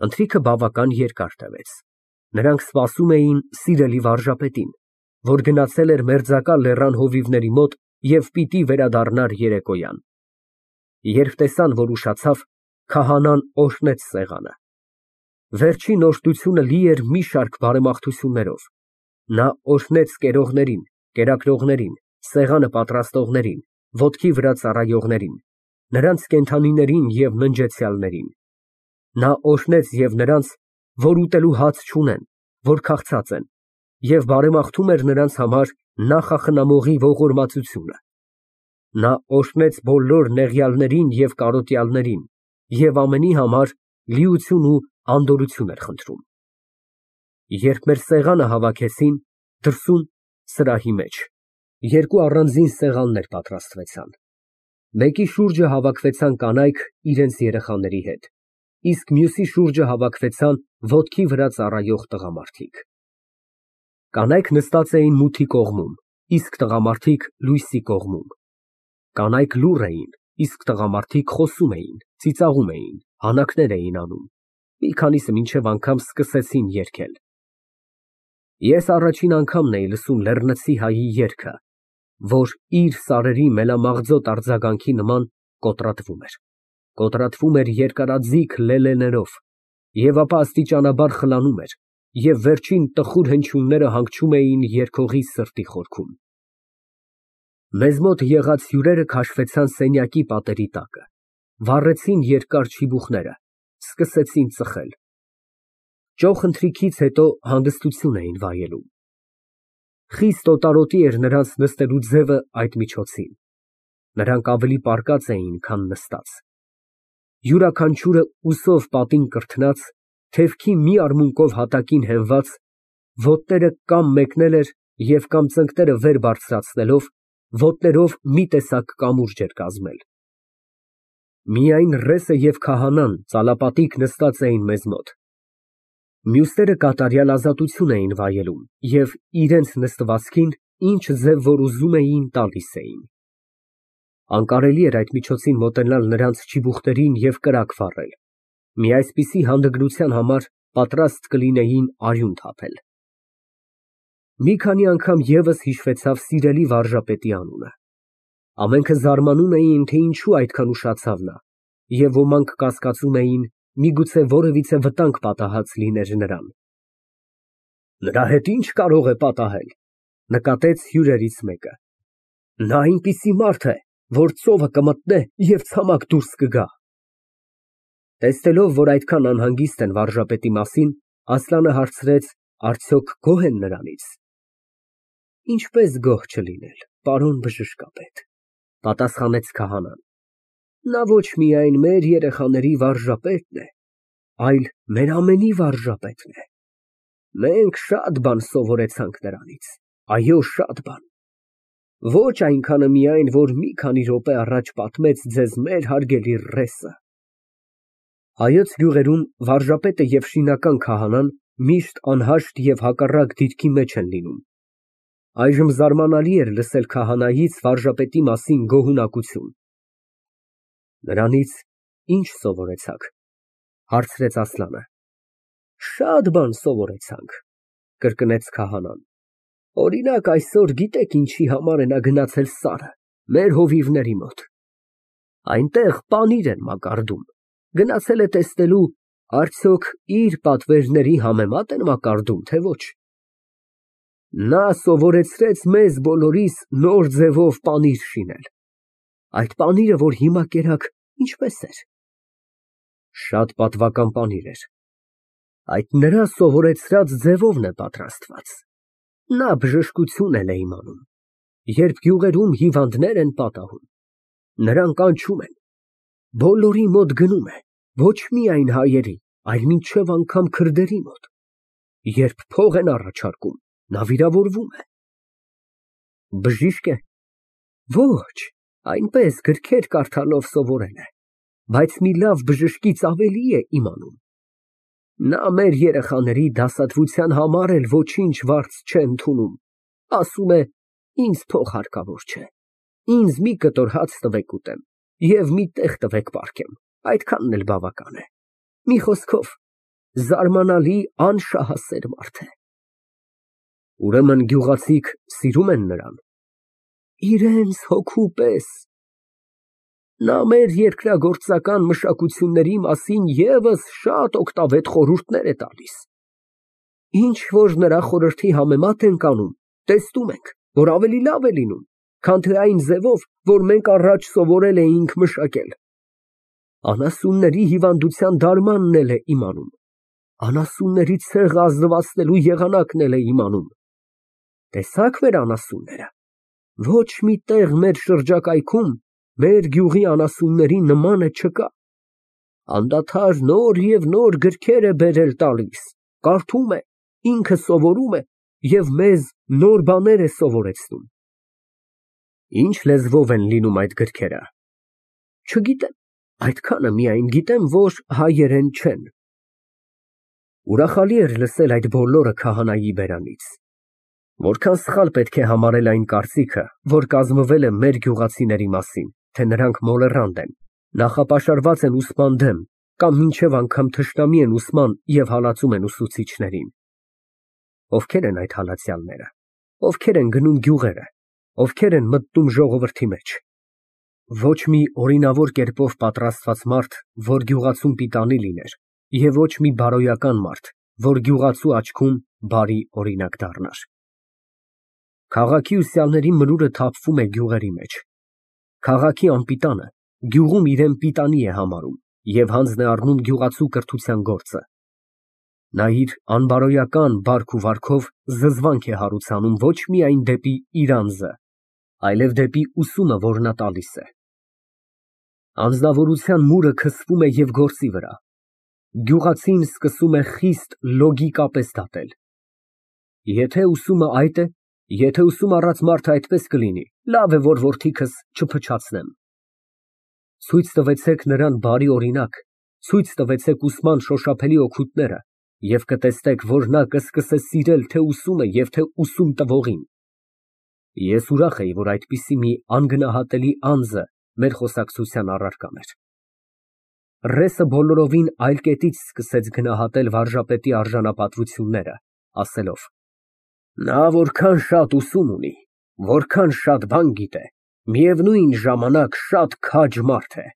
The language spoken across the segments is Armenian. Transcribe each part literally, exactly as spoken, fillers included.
Ընթրիքը բավական երկար տևեց։ Նրանք սպասում էին սիրելի վարժապետին, որ գնացել էր մերձակա լեռան հովիվների մոտ և պիտի վերադառնար երեկոյան։ Երբ տեսան, որ ուշացավ, քահանան օրհնեց սեղանը։ Վերջին օրհնությունը լի էր մի շարք բարեմաղթություններով։ Նա օրհնեց կերողներին, կերակրողներին, սեղանը պատրաստողներին, ոտքի վրա ծառայողներին, նրանց կենդանիներին և ննջեցյալներին։ Նա օրհնեց և նրանց, որ ուտելու հաց չունեն, որ քաղցած են, և բարեմաղթում էր նրանց համար նախախնամողի ողորմածությունը։ Նա օրհնեց բոլոր նեղյալներին և կարոտյալներին և ամենի համար լիություն ու անդորրություն էր խնդրում։ Երբ մեր սեղանը հավաքեցին, դրսում, սրահի մեջ, երկու առանձին սեղաններ պատրաստվեցան։ Մեկի շուրջը հավաքվեցան կանայք իրենց երեխաների հետ, իսկ մյուսի շուրջը հավաքվեցան ոտքի վրա ծառայող տղամարդիկ։ Կանայք նստած էին մութի կողմում, իսկ տղամարդիկ լույսի կողմում։ Կանայք լուռ էին, իսկ տղամարդիկ խոսում էին, ծիծաղում էին, հանակներ էին անում, մի քանիսը մինչև անգամ սկսեցին երգել։ Ես առաջին անգամն էի լսում լեռնցի հայի երգը, որ իր սարերի մելամաղձոտ արձագանքի նման կոտրատվում էր, կոտրատվում էր երկարաձիգ լելեներով և ապա աստիճանաբար խլանում էր, և վերջին տխուր հնչյունները հանգչում էին երգողի սրտի խորքում։ Մեզ մոտ եղած հյուրերը քաշվեցան սենյակի պատերի տակը, վառեցին երկար չիբուխները, սկսեցին ծխել։ Ճոխ ընթրիքից հետո հանգստություն էին վայելում։ Խիստ օտարոտի էր նրանց նստելու ձևը այդ միջոցին։ Նրանք ավելի պառկած էին, քան նստած։ Յուրաքանչյուրը ուսով պատին կրթնած, թևքի մի արմունկով հատակին հենված, ոտները կամ մեկնել էր և կամ ծնկները վեր բարձրացնելով, ոտներով մի տեսակ կամուրջ էր կազմել։ Միայն ռեսը և քահանան ծալապատիկ նստած էին մեզ մոտ։ Մյուսները կատարյալ ազատություն էին վայելում և իրենց նստվածքին ինչ ձև որ ուզում էին, տալիս էին։ Անկարելի էր այդ միջոցին մոտենալ նրանց չիբուխներին և կրակ վառել, մի այսպիսի հանդգնության համար պատրաստ կլինեին արյուն թափել։ Մի քանի անգամ ևս հիշվեցավ սիրելի վարժապետի անունը։ Ամենքը զարմանում էին, թե ինչու այդքան ուշացավ նա, և ոմանք կասկածում էին, միգուցե որևիցե վտանգ պատահած լիներ նրան։ Նրա հետ ի՞նչ կարող է պատահել, ֊ նկատեց հյուրերից մեկը։ Նա այնպիսի մարդ է, որ ծովը կմտնե և ցամաք դուրս կգա։ Տեսնելով, որ այդքան անհանգիստ են վարժապետի մասին, Ասլանը հարցրեց, արդյոք գոհ են նրանից։ Ինչպես գոհ չլինել, պարոն բժշկապետ, ֊ պատասխանեց քահանան։ Նա ոչ միայն մեր երեխաների վարժապետն է, այլ մեր ամենի վարժապետն է։ Մենք շատ բան սովորեցանք նրանից, այո, շատ բան։ Ոչ այնքանը միայն, որ մի քանի րոպե առաջ պատմեց ձեզ մեր հարգելի ռեսը։ Հայոց գյուղերում վարժապետը և շինական քահանան միշտ անհաշտ և հակառակ դիրքի մեջ են լինում։ Այժմ զարմանալի էր լսել քահանայից վարժապետի մասին գոհունակություն։ Նրանից ի՞նչ սովորեցաք, ֊ հարցրեց Ասլանը։ Շատ բան սովորեցանք, ֊ կրկնեց քահանան։ Օրինակ, այսօր գիտեք ինչի համար է նա գնացել սարը, մեր հովիվների մոտ։ Այնտեղ պանիր են մակարդում, գնացել է տեսնելու, արդյոք իր պատվերների համեմա՞տ են մակարդում, թե ոչ։ Նա սովորեցրեց մեզ բոլորիս նոր ձևով պանիր շինել։ Այդ պանիրը, որ հիմա կերաք, ինչպե՞ս էր։ Շատ պատվական պանիր էր։ Այդ նրա սովորեցրած ձևովն է պատրաստված։ Նա բժշկություն էլ է իմանում։ Երբ գյուղերում հիվանդներ են պատահում, նրան կանչում են, բոլորի մոտ գնում է, ոչ միայն հայերի, այլ մինչև անգամ քրդերի մոտ։ Երբ փող են առաջարկում, նա վիրավորվում է։ Բժիշկ է։ Ոչ, այնպես գրքեր կարդալով սովորել է, բայց մի լավ բժշկից ավելի է իմանում։ Նա մեր երեխաների դասադուլության համար էլ ոչինչ վարձ չէ ընդունում, ասում է, ինձ փող հարկավոր չէ, ինձ մի կտոր հաց տվեք ուտեմ և մի տեղ տվեք պառկեմ, այդքանն էլ բավական է։ Մի խոսքով, Զարմանալի անշահասեր մարդ է։ Ուրեմն գյուղացիք սիրում են նրան։ Իրենց հոգու պես։ Նա մեր երկրագործական մշակությունների մասին ևս շատ օգտավետ խորհուրդներ է տալիս։ Ինչ որ նրա խորհրդի համեմատ ենք անում, տեսնում ենք, որ ավելի լավ է լինում, քան թե այն ձևով, որ մենք առաջ սովորել էինք մշակել։ Անասունների հիվանդության դարմանն էլ է իմանում, անասունների ցեղը ազնվացնելու եղանակն էլ է իմանում։ Տեսա՞ք մեր անասունները։ Ոչ մի տեղ մեր շրջակայքում մեր գյուղի անասունների նմանը չկա։ Անդադար նոր և նոր գրքեր է բերել տալիս, կարդում է, ինքը սովորում է և մեզ նոր բաներ է սովորեցնում։ Ինչ լեզվով են լինում այդ գրքերը։ Չգիտեմ, այդքանը միայն գիտեմ, որ հայերեն չեն։ Ուրախալի էր լսել այդ բոլորը քահանայի բերանից։ Որքան սխալ պետք է համարել այն կարծիքը, որ կազմվել է մեր գյուղացիների մասին, թե նրանք մոլեռանդ են, նախապաշարված են ուսման դեմ կամ մինչև անգամ թշնամի են ուսման և հալածում են ուսուցիչներին։ Ովքեր են այդ հալածյալները, ովքեր են գնում գյուղերը, ովքեր են մտնում ժողովրդի մեջ։ Ոչ մի օրինավոր կերպով պատրաստված մարդ, որ գյուղացուն պիտանի լիներ, և ոչ մի բարոյական մարդ, որ գյուղացու աչքում բարի օրինակ դառնար։ Քաղաքի ուսյալների մրուրը թափվում է գյուղերի մեջ։ Քաղաքի անպիտանը գյուղում իրան պիտանի է համարում և հանձն է առնում գյուղացու կրթության գործը։ Նա իր անբարոյական բարք ու վարքով զզվանք է հարուցանում ոչ միայն դեպի իր անձը, այլև դեպի ուսումը, որ նա տալիս է։ Անձնավորության մուրը քսվում է և գործի վրա։ Գյուղացին սկսում է խիստ լոգիկապես դատել։ Եթե ուսումը այդ է, եթե ուսում առած մարդը այդպես կլինի, լավ է, որ որդիքս չփչացնեմ։ Ցույց տվեցեք նրան բարի օրինակ, ցույց տվեցեք ուսման շոշափելի օգուտները և կտեսնեք, որ նա կսկսե սիրել թե ուսումը և թե ուսում տվողին։ Ես ուրախ էի, որ այդպիսի մի անգնահատելի անձը մեր խոսակցության առարկան էր։ Ռեսը բոլորովին այլ կետից սկսեց գնահատել վարժապետի արժանապատվությունները, ասելով. Նա որքան շատ ուսում ունի, որքան շատ բան գիտե, միևնույն ժամանակ շատ քաջ մարդ է։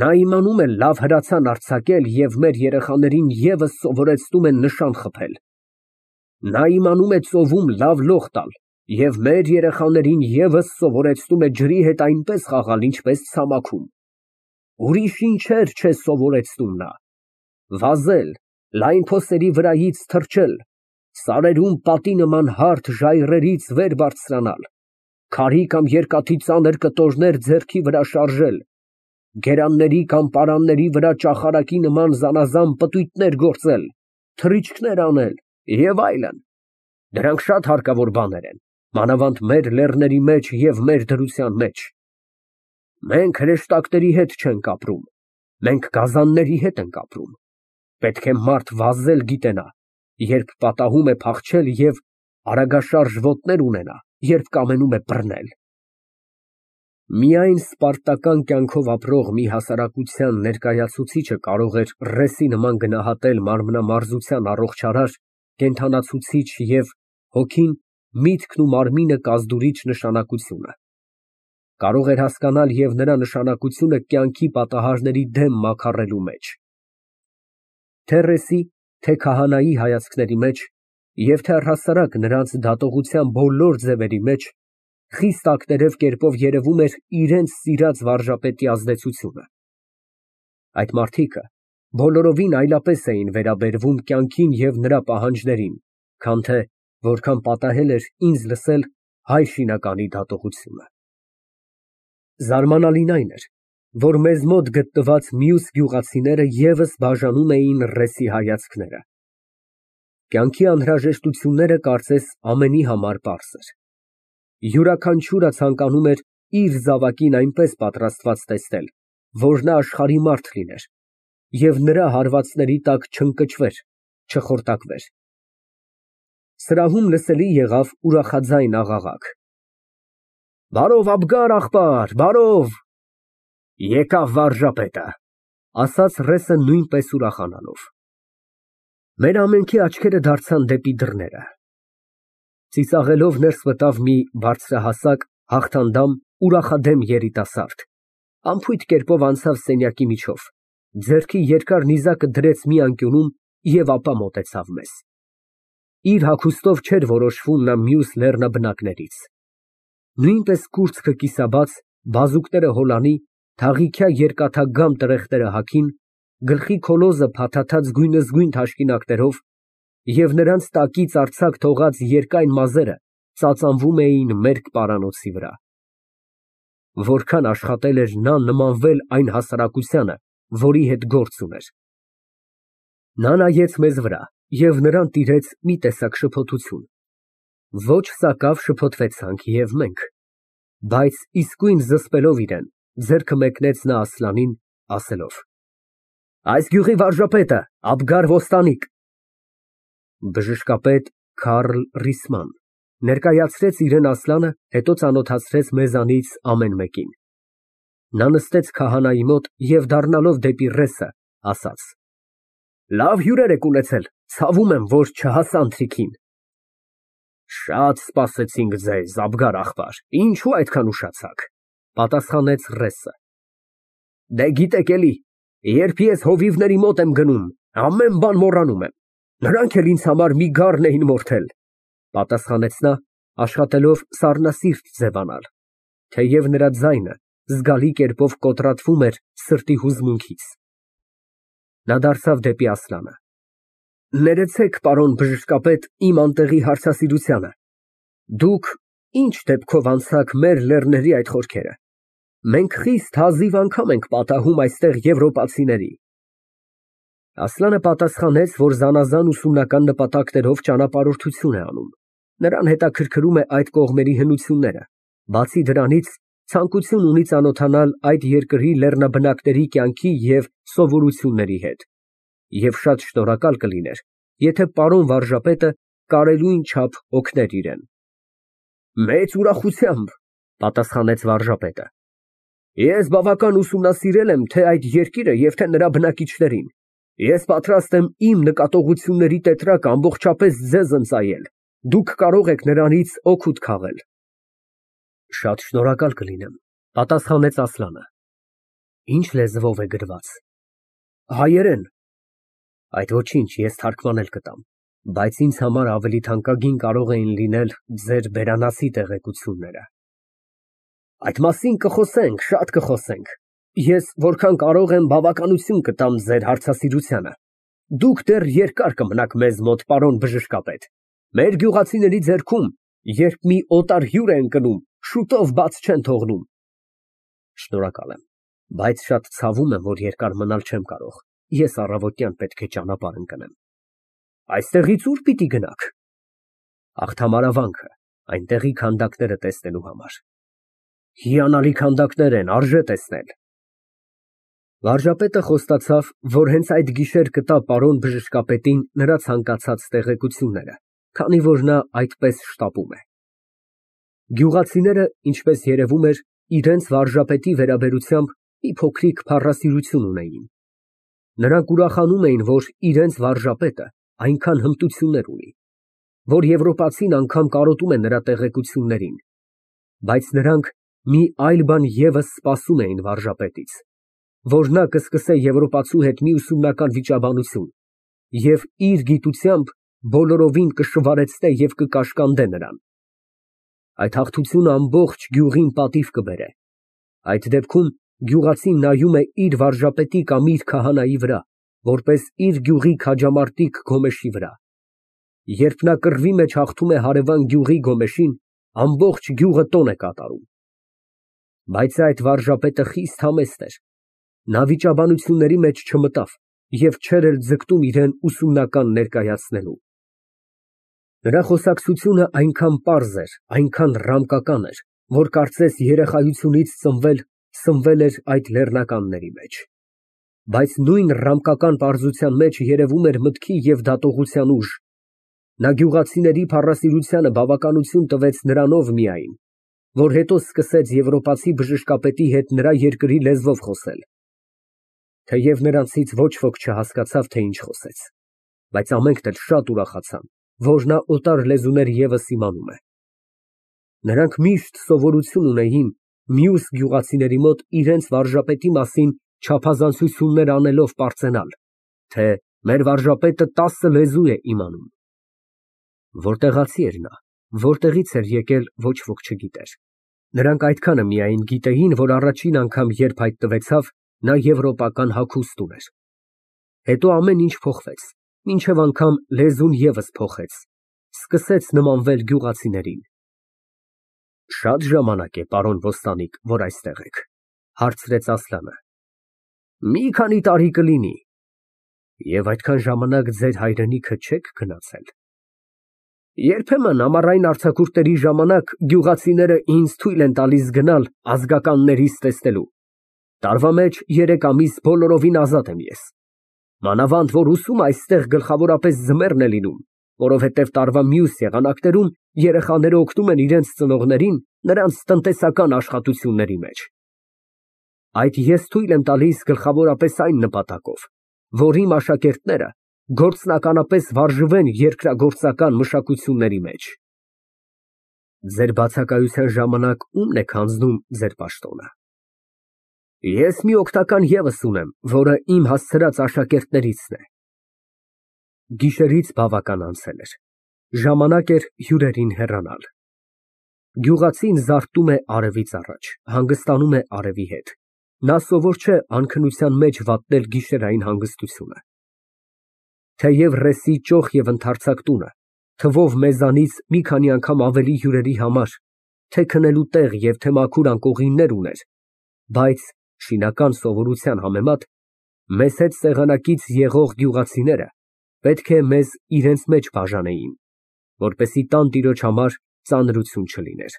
Նա իմանում է լավ հրացան արձակել և մեր երեխաներին ևս սովորեցնում է նշան խփել։ Նա իմանում է ծովում լավ լող տալ և մեր երեխաներին ևս սովորեցնում է ջրի հետ այնպես խաղալ, ինչպես ցամաքում։ Ուրիշ ինչեր չէ սովորեցնում նա։ Վազել, լայն փոսերի վրայից թռչել, սարերում պատի նման հարթ ժայռերից վեր բարձրանալ, քարի կամ երկաթի ծանր կտորներ ձեռքի վրա շարժել, գերանների կամ պարանների վրա ճախարակի նման զանազան պտույտներ գործել, թռիչքներ անել և այլն։ Դրանք շատ հարկավոր բաներ են, մանավանդ մեր լեռների մեջ և մեր դրության մեջ։ Մենք հրեշտակների հետ չենք ապրում, մենք գազանների հետ ենք ապրում։ Պետք է մարդ վազել գիտենա, երբ պատահում է փախչել և արագաշարժ ոտներ ունենա, երբ կամենում է բռնել։ Միայն սպարտական կյանքով ապրող մի հասարակության ներկայացուցիչը կարող էր ռեսի նման գնահատել մարմնամարզության առողջարար, կենդանացուցիչ և հոգին, միտքն ու մարմինը կազդուրիչ նշանակությունը։ Կարող էր հասկանալ և նրա նշանակությունը կյանքի պատահարների դեմ մաքարելու մեջ։ Թե ռեսի, թե քահանայի հայացքների մեջ և թե առհասարակ նրանց դատողության բոլոր ձևերի մեջ խիստ ակներև կերպով երևում էր իրենց սիրած վարժապետի ազդեցությունը։ Այդ մարդիկը բոլորովին այլապես էին վերաբերվում կյանքին և նրա պահանջներին, քան թե որքան պատահել էր ինձ լսել հայ շինականի դատողությունը։ Զարմանալին այն էր, որ մեզ մոտ գտնված մյուս գյուղացիները ևս բաժանում էին ռեսի հայացքները։ Կյանքի անհրաժեշտությունները կարծես ամենի համար պարզ էր։ Յուրաքանչյուրը ցանկանում էր իր զավակին այնպես պատրաստված տեսնել, որ նա աշխարհի մարդ լիներ և նրա հարվածների տակ չընկճվեր, չխորտակվեր։ Սրահում լսելի եղավ ուրախաձայն աղաղակ. «Բարով, Աբգար աղբար, բարով»։ Եկավ վարժապետը, ասաց ռեսը նույնպես ուրախանալով։ Մեր ամենքի աչքերը դարձան դեպի դռները։ Ծիծաղելով ներս մտավ մի բարձրահասակ, հաղթանդամ, ուրախադեմ երիտասարդ, անփույթ կերպով անցավ սենյակի միջով, ձեռքի երկար նիզակը դրեց մի անկյունում և ապա մոտեցավ մեզ։ Իր հագուստով չէր որոշվում նա մյուս լեռնաբնակներից։ Նույնպես կուրծքը կիսաբաց, բազուկները հոլանի, թաղիքյա երկաթագամ տրեխտերը հագին, գլխի քոլոզը փաթաթած գույնզգույն թաշկինակներով և նրանց տակից արձակ թողած երկայն մազերը ծածանվում էին մերկ պարանոցի վրա։ Որքան աշխատել էր նա նմանվել այն հասարակությանը, որի հետ գործ ուներ։ Նա նայեց մեզ վրա և նրան տիրեց մի տեսակ շփոթություն։ Ոչ սակավ շփոթվեցանք և մենք, բայց իսկույն զսպելով իրեն, ձեռքը մեկնեց նա Ասլանին, ասելով. Այս գյուղի վարժապետը Աբգար Ոստանիկ։ Բժշկապետ Քարլ Ռիսման ներկայացրեց իրան Ասլանը, հետո ծանոթացրեց մեզանից ամեն մեկին։ Նա նստեց քահանայի մոտ և դառնալով դեպի ռեսը, ասաց. Լավ հյուրեր եք ունեցել, ցավում եմ, որ չհասա ընթրիքին։ Շատ սպասեցինք ձեզ, Աբգար աղբար, ինչու այդքան ուշացաք, պատասխանեց ռեսը։ Դե գիտեք էլի, երբ ես հովիվների մոտ եմ գնում, ամեն բան մոռանում եմ, նրանք էլ ինձ համար մի գառն էին մորթել, պատասխանեց նա, աշխատելով սառնասիրտ ձևանալ, թեև նրա ձայնը զգալի կերպով կոտրատվում էր սրտի հուզմունքից։ Նա դարձավ դեպի Ասլանը։ Ներեցեք, պարոն բժշկապետ, իմ անտեղի հարցասիրությանը։ Դուք ինչ դեպքով անցաք մեր լեռների այդ խորքերը։ Մենք խիստ հազիվ անգամ ենք պատահում այստեղ եվրոպացիների։ Ասլանը պատասխանեց, որ զանազան ուսումնական նպատակներով ճանապարհորդություն է անում։ Նրան հետաքրքրում է այդ կողմերի հնությունները, բացի դրանից ցանկություն ունի ծանոթանալ այդ երկրի լեռնաբնակների կյանքի և սովորությունների հետ, և շատ շնորհակալ կլիներ, եթե պարոն վարժապետը կարելույն չափ օգներ իրեն։ Մեծ ուրախությամբ, պատասխանեց վարժապետը։ Ես բավական ուսումնասիրել եմ թե այդ երկիրը և թե նրա բնակիչներին։ Ես պատրաստ եմ իմ նկատողությունների տետրակ ամբողջապես ձեզ ընծայել, դուք կարող եք նրանից օգուտ քաղել։ Շատ շնորհակալ կլինեմ, պատասխանեց Ասլանը։ Ինչ լեզվով է գրված։ Հայերեն։ Այդ ոչինչ, ես թարգմանել կտամ, բայց ինձ համար ավելի թանկագին կարող էին լինել ձեր բերանացի տեղեկությունները։ Այդ մասին կխոսենք, շատ կխոսենք։ Ես որքան կարող եմ բավականություն կտամ ձեր հարցասիրությանը։ Դուք դեռ երկար կմնաք մեզ մոտ, պարոն բժշկապետ։ Մեր գյուղացիների ձեռքում, երբ մի օտար հյուր է ընկնում, շուտով բաց չեն թողնում։ Շնորհակալ եմ, բայց շատ ցավում եմ, որ երկար մնալ չեմ կարող։ Ես առավոտյան պետք է ճանապարհ ընկնեմ։ Այստեղից ո՞ւր պիտի գնաք։ Աղթամարավանքը, այնտեղի քանդակները տեսնելու համար։ Հիանալի քանդակներ են, արժե տեսնել։ Վարժապետը խոստացավ, որ հենց այդ գիշեր կտա պարոն բժշկապետին նրա ցանկացած տեղեկությունները, քանի որ նա այդպես շտապում է։ Գյուղացիները, ինչպես երևում էր, իրենց վարժապետի վերաբերությամբ մի փոքրիկ փառասիրություն ունեին։ Նրանք ուրախանում էին, որ իրենց վարժապետը այնքան հմտություններ ունի, որ եվրոպացին անգամ կարոտում է նրա տեղեկություններին, բայց նրանք մի այլ բան ևս սպասում էին վարժապետից, որ նա կսկսե եվրոպացու հետ մի ուսումնական վիճաբանություն և իր գիտությամբ բոլորովին կշվարեցնե և կկաշկանդե նրան։ Այդ հաղթությունը ամբողջ գյուղին պատիվ կբերե։ Այդ դեպքում գյուղացին նայում է իր վարժապետի կամ իր քահանայի վրա, որպես իր գյուղի քաջամարտիկ գոմեշի վրա։ Երբ նա կռվի մեջ հաղթում է հարևան գյուղի գոմեշին, ամբողջ գյուղը տոն է կատարում։ Բայց այդ վարժապետը խիստ համեստ էր։ Նա վիճաբանությունների մեջ չմտավ և չէր էլ ձգտում իրան ուսումնական ներկայացնելու։ Նրա խոսակցությունը այնքան պարզ էր, այնքան ռամկական էր, որ կարծես երեխայությունից ծնվել, սնվել էր այդ լեռնականների մեջ։ Բայց նույն ռամկական պարզության մեջ երևում էր մտքի և դատողության ուժ։ Նա գյուղացիների փառասիրությանը բավականություն տվեց նրանով միայն, որ հետո սկսեց եվրոպացի բժշկապետի հետ նրա երկրի լեզվով խոսել, թեև նրանցից ոչ ոք չհասկացավ, թե ինչ խոսեց։ բայց ամենքն էլ շատ ուրախացան, որ նա օտար լեզուներ ևս իմանում է։ Նրանք միշտ սովորություն ունեին մյուս գյուղացիների մոտ իրենց վարժապետի մասին չափազանցություններ անելով պարծենալ, թե մեր վարժապետը տասը լեզու է իմանում։ Որտեղացի էր նա, որտեղից էր եկել, ոչ ոք չգիտեր։ Նրանք այդքանը միայն գիտեին, որ առաջին անգամ երբ հայտնվեցավ, նա եվրոպական հագուստ ուներ։ Հետո ամեն ինչ փոխվեց, մինչև անգամ լեզուն ևս փոխեց, սկսեց նմանվել գյուղացիներին։ Շատ ժամանակ է, պարոն ոստանիկ, որ այստեղ եք, հարցրեց Ասլանը։ Մի քանի տարի կլինի։ Եվ այդքան ժամանակ ձեր հայրենիքը չեք գնացել։ Երբեմն ամառային արձակուրդների ժամանակ գյուղացիները ինձ թույլ են տալիս գնալ ազգականներիս տեսնելու։ Տարվա մեջ երեք ամիս բոլորովին ազատ եմ ես։ Մանավանդ որ ուսումը այստեղ գլխավորապես ձմեռն է լինում, որովհետև տարվա մյուս եղանակներում երեխաները օգնում են իրենց ծնողներին նրանց տնտեսական աշխատությունների մեջ։ Այդ ես թույլ եմ տալիս գլխավորապես այն նպատակով, որ իմ աշակերտները գործնականապես վարժվեն երկրագործական մշակությունների մեջ։ Ձեր բացակայության ժամանակ ո՞ւմն եք հանձնում ձեր պաշտոնը։ Ես մի օգնական ևս ունեմ, որը իմ հասցրած աշակերտներիցն է։ Գիշերից բավական անցել էր, ժամանակ էր հյուրերին հեռանալ։ Գյուղացին զարթնում է արևից առաջ, հանգստանում է արևի հետ։ Նա սովոր չէ անքնության մեջ վատնել գիշերային հանգստությունը։ Թեև ռեսի ճոխ և ընդարձակ տունը, թվով մեզանից մի քանի անգամ ավելի հյուրերի համար, թե քնելու տեղ և թե մաքուր անկողիններ ուներ, բայց շինական սովորության համեմատ մեզ հետ սեղանակից եղող գյուղացիները պետք է մեզ իրենց մեջ բաժանեին, որպեսզի տան տիրոջ համար ծանրություն չլիներ։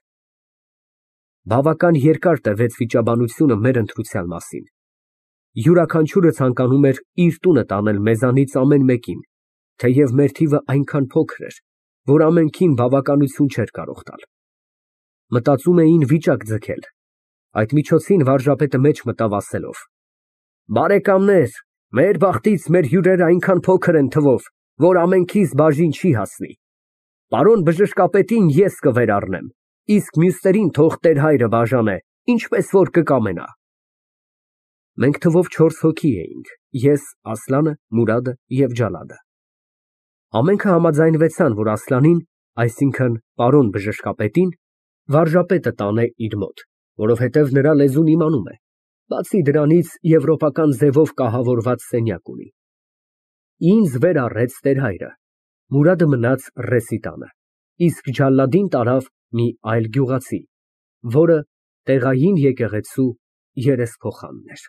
Բավական երկար տևեց վիճաբանությունը մեր ընտրության մասին։ Յուրաքանչյուրը ցանկանում էր իր տունը տանել մեզանից ամեն մեկին, թեև մեր թիվը այնքան փոքր էր, որ ամենքին բավականություն չէր կարող տալ։ Մտածում էին վիճակ ձգել։ Այդ միջոցին վարժապետը մեջ մտավ ասելով. Բարեկամներ, մեր բախտից մեր հյուրերը այնքան փոքր են թվով, որ ամենքիս բաժին չի հասնի։ Պարոն բժշկապետին ես կվերառնեմ, իսկ մյուսներին թող տեր հայրը բաժանե, ինչպես որ կկամենա։ Մենք թվով չորս հոգի էինք, ես, Ասլանը, Մուրադը և Ջալադը։ Ամենքը համաձայնվեցան, որ Ասլանին, այսինքն պարոն բժշկապետին, վարժապետը տանե իր մոտ, որովհետև նրա լեզուն իմանում է, բացի դրանից եվրոպական ձևով կահավորված սենյակ ունի։ Ինձ վեր առեց տեր հայրը, Մուրադը մնաց ռեսի տանը, իսկ Ջալադին տարավ մի այլ գյուղացի, որը տեղային եկեղեցու երեսփոխանն էր։